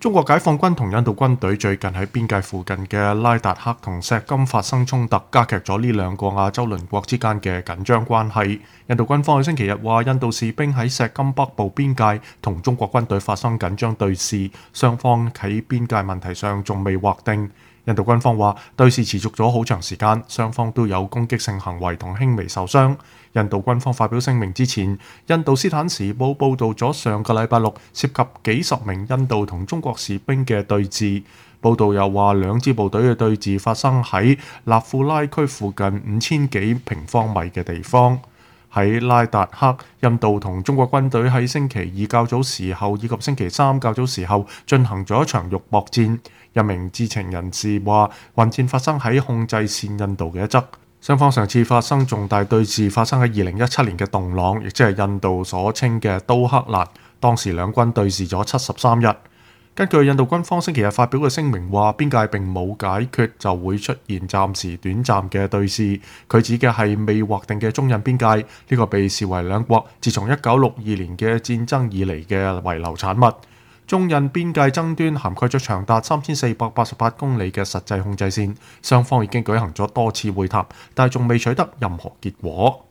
中國解放軍同印度軍隊最近喺邊界附近嘅拉達克同錫金發生衝突，加劇咗呢兩個亞洲鄰國之間嘅緊張關係。印度軍方喺星期日話，印度士兵喺錫金北部邊界同中國軍隊發生緊張對峙，雙方喺邊界問題上仲未劃定。印度軍方話對峙持續咗好長時間，雙方都有攻擊性行為同輕微受傷。印度軍方發表聲明之前，印度斯坦時報報導咗上個禮拜六涉及幾十名印度同中國士兵嘅對峙。報導又話兩支部隊嘅對峙發生喺納庫拉區附近5000幾平方米嘅地方。喺拉達克，印度同中國軍隊喺星期二較早時候以及星期三較早時候進行咗一場肉搏戰。一名知情人士話，混戰發生喺控制線印度嘅一側。雙方上次發生重大對峙發生喺2017年嘅洞朗，亦即係印度所稱嘅都克蘭。當時兩軍對峙咗73日。根據印度軍方星期日發表嘅聲明話，邊界並冇解決就會出現暫時短暫嘅對峙。佢指嘅係未劃定嘅中印邊界，呢個被視為兩國自從1962年嘅戰爭以嚟嘅遺留產物。中印邊界爭端涵蓋咗長達3488公里嘅實際控制線，雙方已經舉行咗多次會談，但係仲未取得任何結果。